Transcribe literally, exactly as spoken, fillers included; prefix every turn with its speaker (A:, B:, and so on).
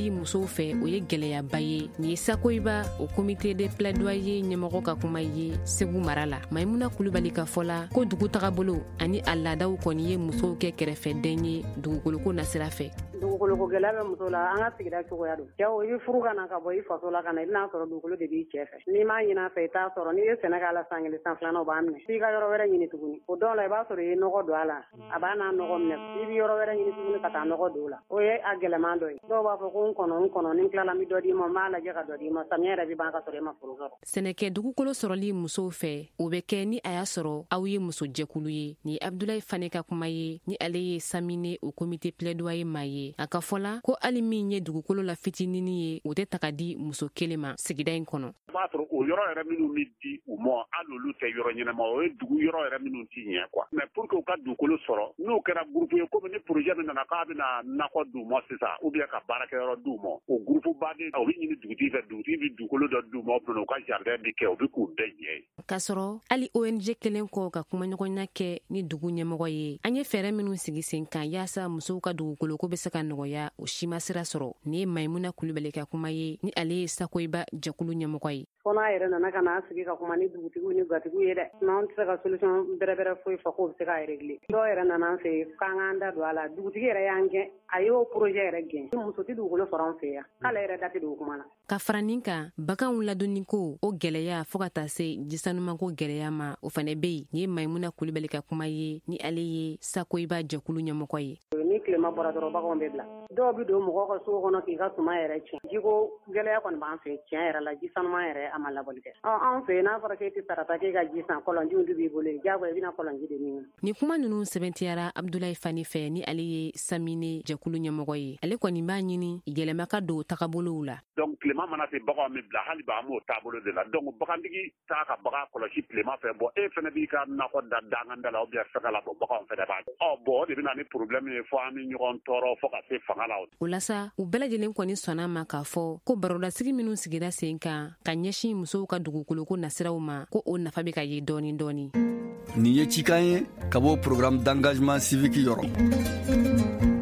A: sɔrɔli musow fɛ, o ye gwɛlɛyaba ye. Nin ye Sakoyiba o comité de plaidoyer ɲɛmɔgɔ ka kuma ye Segu mara la. Maimuna Kulubali ka fɔ la ko dugu tagabolo ani a laadaw kɔni ye musow kɛ kɛrɛfɛden ye dugukoloko nasira fɛ.
B: Dugukoloko gɛlɛya bɛ muso la, an ka sigida cogoya don. Cɛw, i bɛ furu ka na ka bɔ i faso la ka na, i bɛna sɔrɔ dugukolo de b'i cɛ fɛ. N'i m'a ɲini a fɛ, i t'a sɔrɔ. N'i ye sɛnɛ k'a la san kelen, san filanan, o b'a minɛ f'i ka yɔrɔ wɛrɛ ɲini tuguni. O dɔw la, i b'a sɔrɔ i ye nɔgɔ don a la, a b'a n'a nɔgɔ minɛ, i bɛ yɔrɔ wɛrɛ ɲini tuguni ka taa nɔgɔ don o la. O ye a gɛlɛman dɔ ye. Dɔw b'a fɔ ko n kɔnɔ, n kɔnɔ, ni n tilala, n bɛ dɔ d'i ma, n b'a lajɛ ka dɔ d'i ma. Samiya yɛrɛ bɛ ban ka sɔrɔ e ma foro sɔrɔ.
A: Sɛnɛkɛ dugukolo sɔrɔli musow fɛ, o bɛ kɛ ni a y'a sɔrɔ aw ye musojɛkulu ye. Nin ye Abdulayi Fane ka kuma ye, ni ale ye Samine o comité plaidoyer maa ye. A ka fɔ la ko hali min ye dugukolo la fitininin ye, o tɛ ta ka di muso kelen ma sigida in kɔnɔ.
C: I b'a sɔrɔ o yɔrɔ yɛrɛ minnu bɛ di u ma, hali olu tɛ yɔrɔ ɲɛnama. O ye dugu yɔrɔ yɛrɛ minnu ti ɲɛ quoi. Mais pour que u ka dugukolo sɔrɔ, n'o kɛra groupe ye, komi ni projet min nana k'a bɛna nakɔ d'u ma sisan ou bien ka baarakɛyɔrɔ d'u ma, o groupe baden, o bɛ ɲini dugutigi fɛ, dugutigi bɛ dugukolo dɔ d'u ma, o u ka jardin bɛ kɛ, o bɛ k'u bɛɛ ɲɛ ye.
A: K'a sɔrɔ hali O N G kelen kɔ ka kumaɲɔgɔnya kɛ ni dugu ɲɛmɔgɔ ye, an ye fɛɛrɛ minnu sigi sen kan yaasa musow ka dugukoloko bɛ se ka nɔgɔya, o si ma sira sɔrɔ. Nin ye Maimuna Kulubali ka kuma ye, ni ale ye Sakoyiba jɛkulu ɲɛmɔgɔ ye.
B: Fo n'a yɛrɛ nana ka n'a sigi ka kuma ni dugutigiw ni gatigiw ye dɛ, n'an tɛ se ka solution bɛrɛbɛrɛ foyi fɔ k'o bɛ se k'a régler. Dɔw yɛrɛ nana an fɛ yen k'an k'an da don a la, dugutigi yɛrɛ y'an gɛn, a y'o projet yɛrɛ gɛn. Muso tɛ dugukolo sɔrɔ an fɛ yan, k'ale yɛrɛ da tɛ don o kuma na.
A: Ka fara nin kan, baganw ladonniko o gwɛlɛya, fɔɔ ka taa se jisanumanko gwɛlɛya ma, o fɛnɛ be yen. Nin ye Maimuna Kulubali ka kuma ye, ni ale ye Sakoyiba jɛkulu ɲɛmɔgɔ ye.
B: Ni tilema bɔra dɔrɔn, baganw bɛ bila. Dɔw bɛ don mɔgɔw ka so kɔnɔ k'i ka suma yɛrɛ tiɲɛ. Jiko gɛlɛya kɔni b'an fɛ tiɲɛ yɛrɛ la. Ji sanuman yɛrɛ, a ma labɔli kɛ. Ɔ, anw fɛ yen, n'a fɔra k'e tɛ sarata k'e ka ji san, kɔlɔnjiw de b'i bolo yen, diyagoya i bɛna kɔlɔnji de min.
A: Nin kuma ninnu sɛbɛntiyara Abdulayi Fani fɛ, ni ale ye Samine jɛkulu ɲɛmɔgɔ ye. Ale kɔni b'a ɲini yɛlɛma ka don tagabolow la.
C: Donc tilema mana se, baganw bɛ bila. Hali bi an b'o taabolo de la. Donc bagantigi t'a ka bagan kɔlɔsi tilema fɛ. Bon, e fɛnɛ b'i ka nakɔ da danganda la ou bien fɛngɛ la. Bon, baganw fɛnɛ b'a ɔ bon, o de bɛ na ni problème ye fo an bɛ ɲɔgɔn tɔɔrɔ fo ka se fanga la.
A: O la sa, u bɛɛ lajɛlen kɔni sɔnna ma k'a fɔ ko barodasigi minw sigira sen kan ka ɲɛsin musow ka dugukoloko nasiraw ma, ko o nafa bɛ ka ye dɔɔni dɔɔni.
D: Nin ye cikan ye ka bɔ Programme d'engagement civique yɔrɔ.